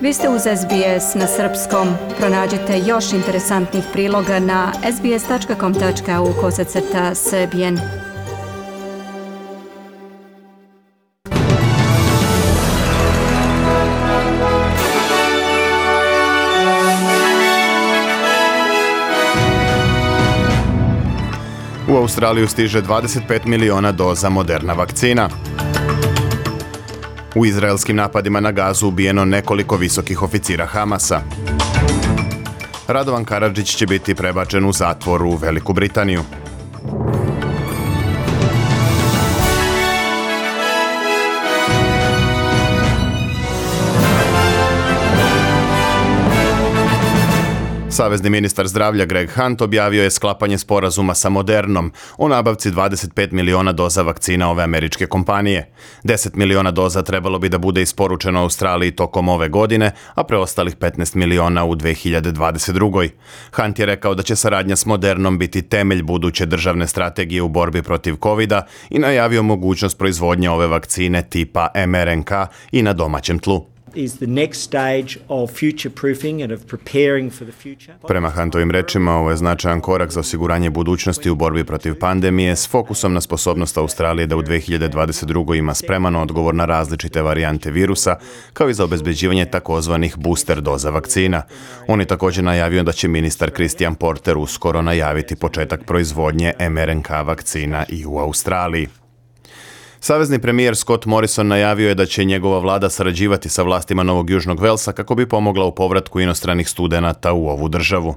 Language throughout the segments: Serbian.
Vi ste uz SBS na srpskom. Pronađite još interesantnih priloga na sbs.com.au/srbijen. U Australiju stiže 25 miliona doza Moderna vakcina. U izraelskim napadima na Gazu ubijeno nekoliko visokih oficira Hamasa. Radovan Karadžić će biti prebačen u zatvor u Veliku Britaniju. Savezni ministar zdravlja Greg Hunt objavio je sklapanje sporazuma sa Modernom o nabavci 25 miliona doza vakcina ove američke kompanije. 10 miliona doza trebalo bi da bude isporučeno Australiji tokom ove godine, a preostalih 15 miliona u 2022. Hunt je rekao da će saradnja s Modernom biti temelj buduće državne strategije u borbi protiv COVID-a i najavio mogućnost proizvodnje ove vakcine tipa mRNK i na domaćem tlu. Prema Huntovim rečima, ovo je značajan korak za osiguranje budućnosti u borbi protiv pandemije s fokusom na sposobnost Australije da u 2022. ima spreman odgovor na različite varijante virusa, kao i za obezbeđivanje takozvanih booster doza vakcina. On je također najavio da će ministar Christian Porter uskoro najaviti početak proizvodnje mRNK vakcina i u Australiji. Savezni premijer Scott Morrison najavio je da će njegova vlada sarađivati sa vlastima Novog Južnog Velsa kako bi pomogla u povratku inostranih studenata u ovu državu.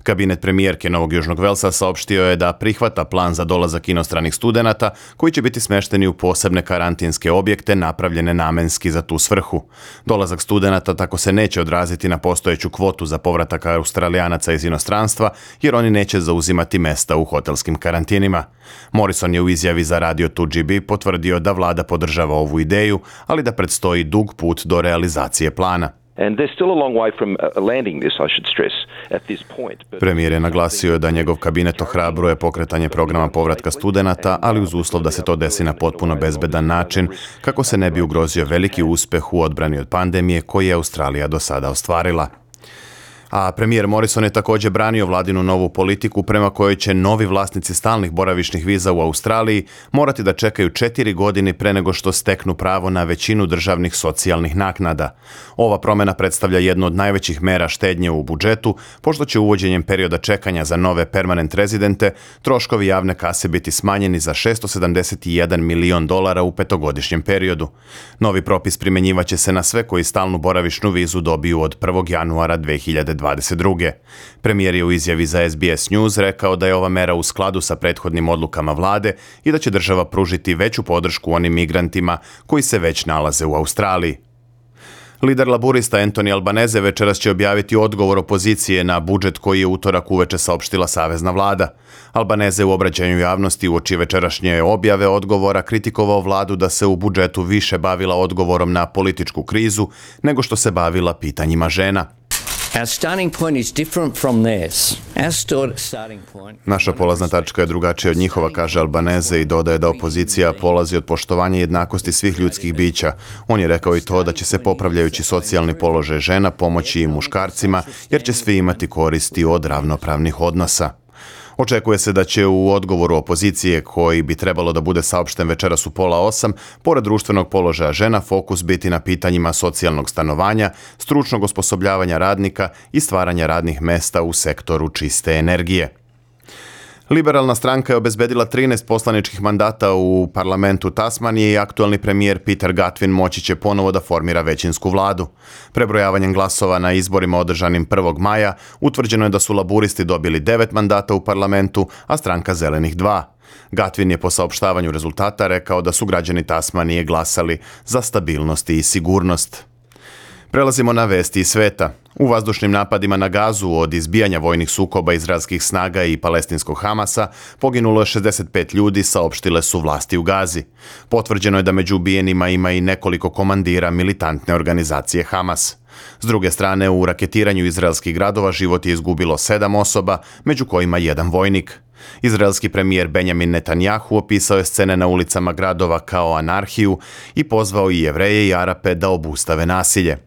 Kabinet premijerke Novog Južnog Velsa saopštio je da prihvata plan za dolazak inostranih studenata koji će biti smešteni u posebne karantinske objekte napravljene namenski za tu svrhu. Dolazak studenata tako se neće odraziti na postojeću kvotu za povratak Australijanaca iz inostranstva, jer oni neće zauzimati mesta u hotelskim karantinima. Morrison je u izjavi za Radio 2GB potvrdio da vlada podržava ovu ideju, ali da predstoji dug put do realizacije plana. Premijer je naglasio da njegov kabinet ohrabruje pokretanje programa povratka studenata, ali uz uslov da se to desi na potpuno bezbedan način, kako se ne bi ugrozio veliki uspeh u odbrani od pandemije koji je Australija do sada ostvarila. A premijer Morrison je također branio vladinu novu politiku prema kojoj će novi vlasnici stalnih boravišnih viza u Australiji morati da čekaju 4 godine pre nego što steknu pravo na većinu državnih socijalnih naknada. Ova promjena predstavlja jednu od najvećih mera štednje u budžetu, pošto će uvođenjem perioda čekanja za nove permanent rezidente troškovi javne kase biti smanjeni za $671 milion u petogodišnjem periodu. Novi propis primjenjivaće se na sve koji stalnu boravišnu vizu dobiju od 1. januara 2022. Premijer je u izjavi za SBS News rekao da je ova mera u skladu sa prethodnim odlukama vlade i da će država pružiti veću podršku onim migrantima koji se već nalaze u Australiji. Lider laburista Anthony Albanese večeras će objaviti odgovor opozicije na budžet koji je utorak uveče saopštila savezna vlada. Albanese u obraćanju javnosti uoči večerašnje objave odgovora kritikovao vladu da se u budžetu više bavila odgovorom na političku krizu nego što se bavila pitanjima žena. Naša polazna tačka je drugačija od njihova, kaže Albanese i dodaje da opozicija polazi od poštovanja jednakosti svih ljudskih bića. On je rekao i to da će se popravljajući socijalni položaj žena pomoći i muškarcima, jer će svi imati koristi od ravnopravnih odnosa. Očekuje se da će u odgovoru opozicije, koji bi trebalo da bude saopšten večeras u 7:30, pored društvenog položaja žena, fokus biti na pitanjima socijalnog stanovanja, stručnog osposobljavanja radnika i stvaranja radnih mesta u sektoru čiste energije. Liberalna stranka je obezbedila 13 poslaničkih mandata u parlamentu Tasmanije i aktualni premijer Peter Gutwein moći će ponovo da formira većinsku vladu. Prebrojavanjem glasova na izborima održanim 1. maja utvrđeno je da su laburisti dobili 9 mandata u parlamentu, a stranka zelenih 2. Gutwein je po saopštavanju rezultata rekao da su građani Tasmanije glasali za stabilnost i sigurnost. Prelazimo na vesti iz sveta. U vazdušnim napadima na Gazu od izbijanja vojnih sukoba izraelskih snaga i palestinskog Hamasa poginulo je 65 ljudi, saopštile su vlasti u Gazi. Potvrđeno je da među ubijenima ima i nekoliko komandira militantne organizacije Hamas. S druge strane, u raketiranju izraelskih gradova život je izgubilo 7 osoba, među kojima 1 vojnik. Izraelski premijer Benjamin Netanjahu opisao je scene na ulicama gradova kao anarhiju i pozvao i Jevreje i Arape da obustave nasilje.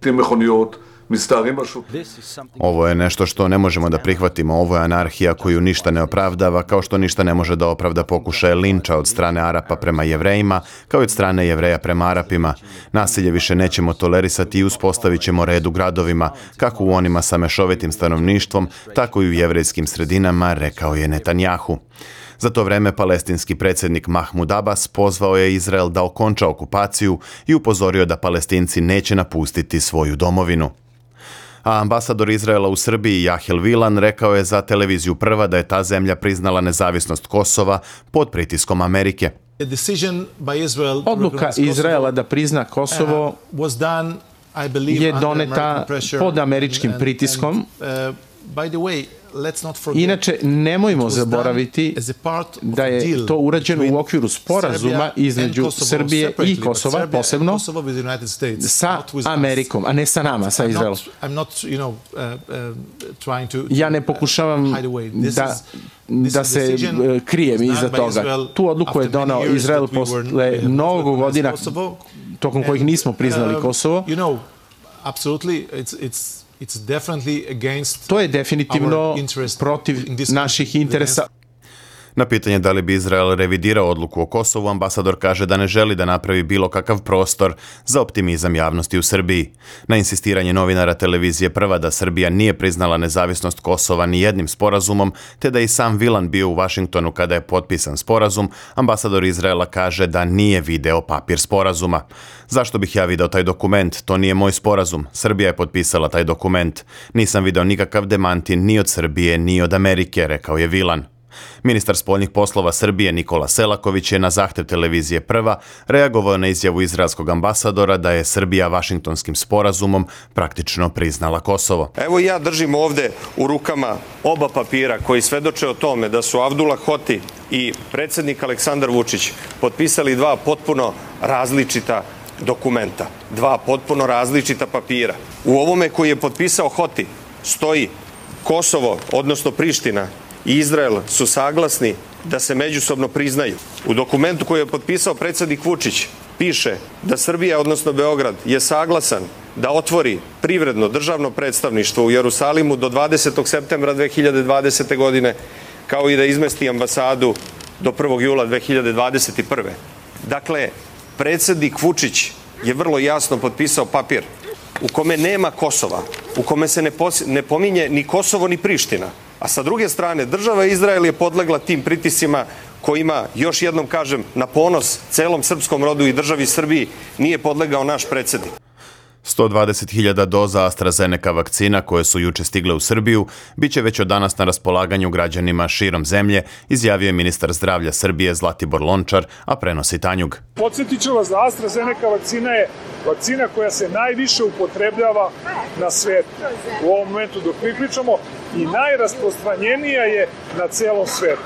Ovo je nešto što ne možemo da prihvatimo. Ovo je anarhija koju ništa ne opravdava, kao što ništa ne može da opravda pokušaje linča od strane Arapa prema Jevrejima, kao i od strane Jevreja prema Arapima. Nasilje više nećemo tolerisati i uspostavit ćemo red u gradovima, kako u onima sa mešovitim stanovništvom, tako i u jevrejskim sredinama, rekao je Netanjahu. Za to vreme palestinski predsjednik Mahmud Abbas pozvao je Izrael da okonča okupaciju i upozorio da Palestinci neće napustiti svoju domovinu. A ambasador Izraela u Srbiji Jahel Vilan rekao je za televiziju Prva da je ta zemlja priznala nezavisnost Kosova pod pritiskom Amerike. Odluka Izraela da prizna Kosovo je doneta pod američkim pritiskom. Inače, nemojmo zaboraviti da je to urađeno u okviru sporazuma između Srbije i Kosova, posebno sa Amerikom, a ne sa nama, sa Izraelom. Ja ne pokušavam da se krijem iza toga. Tu odluku je donao Izrael posle mnogo godina tokom kojih nismo priznali Kosovo. To je definitivno protiv naših interesa. Na pitanje da li bi Izrael revidirao odluku o Kosovu, ambasador kaže da ne želi da napravi bilo kakav prostor za optimizam javnosti u Srbiji. Na insistiranje novinara televizije Prva da Srbija nije priznala nezavisnost Kosova ni jednim sporazumom, te da i sam Vilan bio u Vašingtonu kada je potpisan sporazum, ambasador Izraela kaže da nije video papir sporazuma. Zašto bih ja video taj dokument? To nije moj sporazum. Srbija je potpisala taj dokument. Nisam video nikakav demanti ni od Srbije, ni od Amerike, rekao je Vilan. Ministar spoljnih poslova Srbije Nikola Selaković je na zahtev televizije Prva reagovao na izjavu izraelskog ambasadora da je Srbija Vašingtonskim sporazumom praktično priznala Kosovo. Evo ja držim ovde u rukama oba papira koji svedoče o tome da su Avdullah Hoti i predsjednik Aleksandar Vučić potpisali dva potpuno različita dokumenta, dva potpuno različita papira. U ovome koji je potpisao Hoti stoji Kosovo, odnosno Priština, i Izrael su saglasni da se međusobno priznaju. U dokumentu koji je potpisao predsjednik Vučić piše da Srbija, odnosno Beograd, je saglasan da otvori privredno državno predstavništvo u Jerusalimu do 20. septembra 2020. godine, kao i da izmesti ambasadu do 1. jula 2021. Dakle, predsjednik Vučić je vrlo jasno potpisao papir u kome nema Kosova, u kome se ne pominje ni Kosovo ni Priština. A sa druge strane, država Izrael je podlegla tim pritiscima kojima, još jednom kažem, na ponos celom srpskom rodu i državi Srbiji nije podlegao naš predsjednik. 120.000 doza AstraZeneca vakcina koje su juče stigle u Srbiju biće već od danas na raspolaganju građanima širom zemlje, izjavio je ministar zdravlja Srbije Zlatibor Lončar, a prenosi Tanjug. Podsjetit ću vas da AstraZeneca vakcina je vakcina koja se najviše upotrebljava na svetu u ovom momentu dok mi pričamo i najrasprostranjenija je na celom svetu.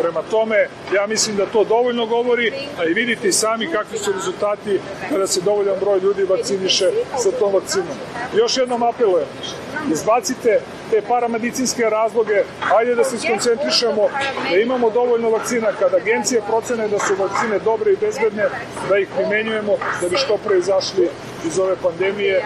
Prema tome, ja mislim da to dovoljno govori, a i vidite i sami kakvi su rezultati kada se dovoljan broj ljudi vakciniše sa tom vakcinom. Još jednom apelujem, izbacite te paramedicinske razloge, ajde da se skoncentrišemo, da imamo dovoljno vakcina, kada agencije procene da su vakcine dobre i bezbedne, da ih primenjujemo da bi što pre izašli iz ove pandemije.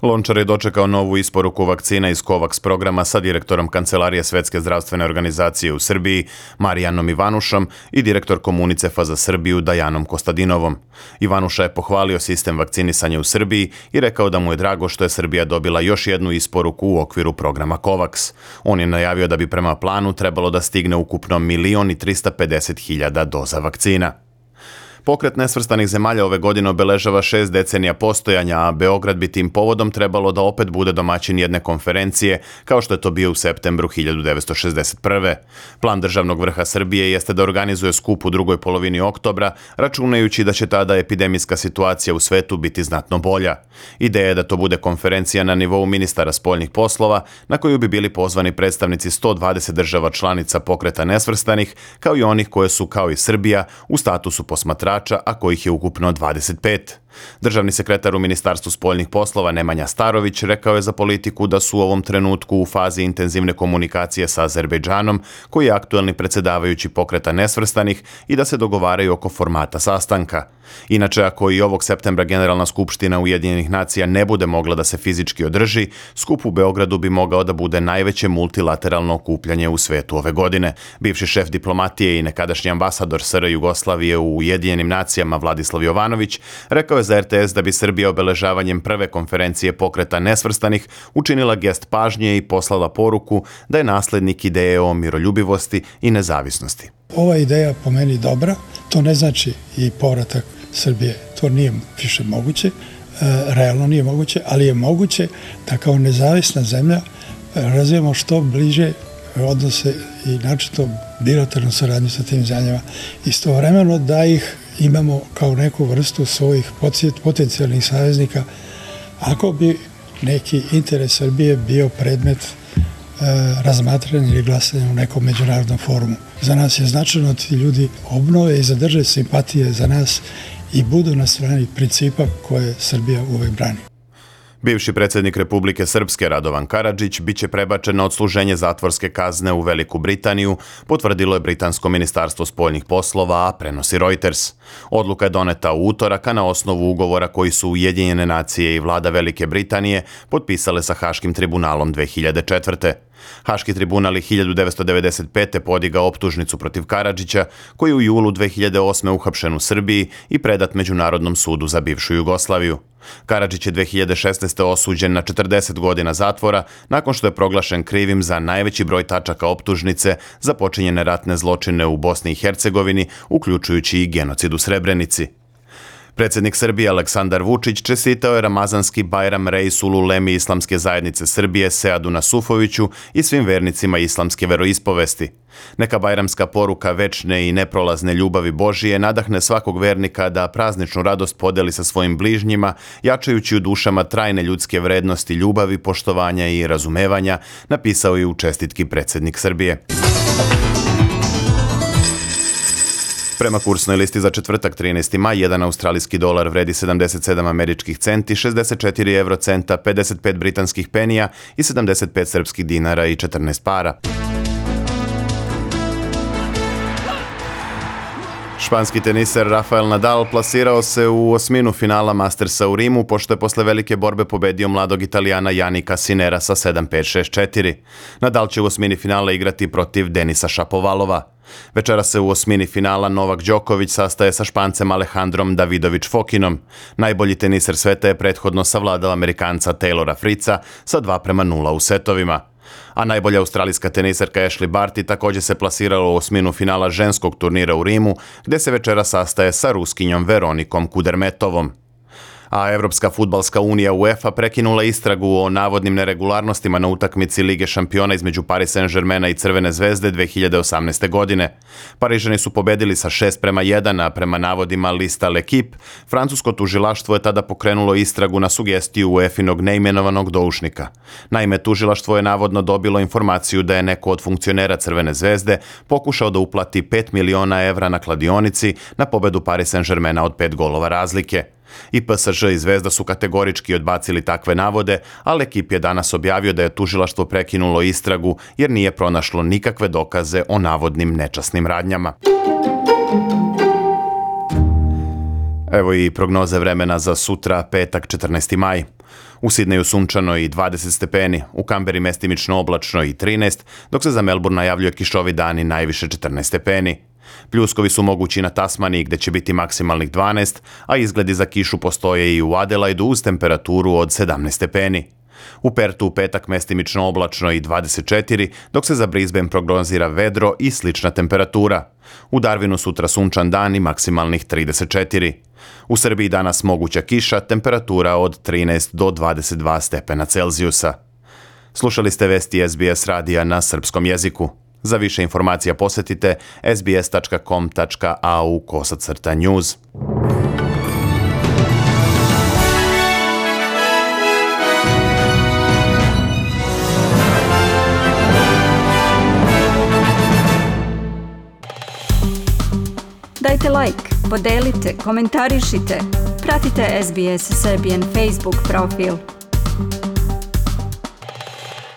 Lončar je dočekao novu isporuku vakcina iz COVAX programa sa direktorom Kancelarije Svetske zdravstvene organizacije u Srbiji Marijanom Ivanušom i direktorkom UNICEF-a za Srbiju Dajanom Kostadinovom. Ivanuša je pohvalio sistem vakcinisanja u Srbiji i rekao da mu je drago što je Srbija dobila još jednu isporuku u okviru programa COVAX. On je najavio da bi prema planu trebalo da stigne ukupno 1.350.000 doza vakcina. Pokret nesvrstanih zemalja ove godine obeležava 6 decenija postojanja, a Beograd bi tim povodom trebalo da opet bude domaćin jedne konferencije, kao što je to bio u septembru 1961. Plan državnog vrha Srbije jeste da organizuje skup u drugoj polovini oktobra, računajući da će tada epidemijska situacija u svetu biti znatno bolja. Ideja je da to bude konferencija na nivou ministara spoljnih poslova, na koju bi bili pozvani predstavnici 120 država članica pokreta nesvrstanih, kao i onih koje su, kao i Srbija, u statusu posmatrača, a kojih je ukupno 25. Državni sekretar u Ministarstvu spoljnih poslova Nemanja Starović rekao je za Politiku da su u ovom trenutku u fazi intenzivne komunikacije sa Azerbejdžanom, koji je aktuelni predsjedavajući Pokreta nesvrstanih, i da se dogovaraju oko formata sastanka. Inače, ako i ovog septembra Generalna skupština Ujedinjenih nacija ne bude mogla da se fizički održi, skup u Beogradu bi mogao da bude najveće multilateralno okupljanje u svetu ove godine. Bivši šef diplomatije i nekadašnji ambasador SR Jugoslavije u Ujedinjenim nacijama Vladislav Jovanović rekao je za RTS da bi Srbija obeležavanjem prve konferencije Pokreta nesvrstanih učinila gest pažnje i poslala poruku da je naslednik ideje o miroljubivosti i nezavisnosti. Ova ideja po meni dobra, to ne znači i povratak Srbije, to nije više moguće, realno nije moguće, ali je moguće da kao nezavisna zemlja razvijemo što bliže odnose i načito bilateralnu saradnju sa tim zemljama. Istovremeno da ih imamo kao neku vrstu svojih potencijalnih saveznika ako bi neki interes Srbije bio predmet razmatranja ili glasanja u nekom međunarodnom forumu. Za nas je značajno da ti ljudi obnove i zadrže simpatije za nas i budu na strani principa koje Srbija uvek brani. Bivši predsjednik Republike Srpske Radovan Karadžić biće prebačen na odsluženje zatvorske kazne u Veliku Britaniju, potvrdilo je Britansko ministarstvo spoljnih poslova, a prenosi Reuters. Odluka je doneta u utorak, a na osnovu ugovora koji su Ujedinjene nacije i vlada Velike Britanije potpisale sa Haškim tribunalom 2004. Haški tribunal je 1995. podigao optužnicu protiv Karadžića, koji je u julu 2008. uhapšen u Srbiji i predat Međunarodnom sudu za bivšu Jugoslaviju. Karadžić je 2016. osuđen na 40 godina zatvora nakon što je proglašen krivim za najveći broj tačaka optužnice za počinjene ratne zločine u Bosni i Hercegovini, uključujući i genocid u Srebrenici. Predsjednik Srbije Aleksandar Vučić čestitao je Ramazanski Bajram Reisulu Ulemi Islamske zajednice Srbije Seadu Nasufoviću i svim vernicima islamske veroispovesti. Neka bajramska poruka večne i neprolazne ljubavi Božije nadahne svakog vernika da prazničnu radost podeli sa svojim bližnjima, jačajući u dušama trajne ljudske vrednosti ljubavi, poštovanja i razumevanja, napisao je u čestitki predsjednik Srbije. Prema kursnoj listi za četvrtak 13. maj, 1 australijski dolar vredi 77 američkih centi, 64 eurocenta, 55 britanskih penija i 75 srpskih dinara i 14 para. Španski teniser Rafael Nadal plasirao se u osminu finala Mastersa u Rimu, pošto je posle velike borbe pobedio mladog Italijana Janika Sinera sa 7-5-6-4. Nadal će u osmini finala igrati protiv Denisa Šapovalova. Večera se u osmini finala Novak Đoković sastaje sa Špancem Alejandrom Davidović Fokinom. Najbolji teniser sveta je prethodno savladao Amerikanca Taylora Fritza sa 2:0 u setovima. A najbolja australijska teniserka Ashley Barty također se plasirala u osminu finala ženskog turnira u Rimu, gdje se večera sastaje sa Ruskinjom Veronikom Kudermetovom. A Evropska fudbalska unija UEFA prekinula istragu o navodnim neregularnostima na utakmici Lige šampiona između Paris Saint-Germaina i Crvene zvezde 2018. godine. Parižani su pobedili sa 6:1, a prema navodima lista L'Equipe, francusko tužilaštvo je tada pokrenulo istragu na sugestiju UEFA-inog neimenovanog doušnika. Naime, tužilaštvo je navodno dobilo informaciju da je neko od funkcionera Crvene zvezde pokušao da uplati 5 miliona evra na kladionici na pobedu Paris Saint-Germaina od 5 golova razlike. I PSG i Zvezda su kategorički odbacili takve navode, a L'Equipe je danas objavio da je tužilaštvo prekinulo istragu jer nije pronašlo nikakve dokaze o navodnim nečasnim radnjama. Evo i prognoze vremena za sutra, petak 14. maj. U Sidneju sunčano i 20 stepeni, u Kamberi mestimično oblačno i 13, dok se za Melbourne najavljuje kišovi dan i najviše 14 stepeni. Pljuskovi su mogući na Tasmaniji gdje će biti maksimalnih 12, a izgledi za kišu postoje i u Adelaidu uz temperaturu od 17 stepeni. U Pertu u petak mestimično oblačno i 24, dok se za Brisbane prognozira vedro i slična temperatura. U Darwinu sutra sunčan dan i maksimalnih 34. U Srbiji danas moguća kiša, temperatura od 13 do 22 stepena Celzijusa. Slušali ste vesti SBS radija na srpskom jeziku. Za više informacija posjetite sbs.com.au/news. Dajte like, podelite, komentarišite. Pratite SBS Serbian Facebook profil.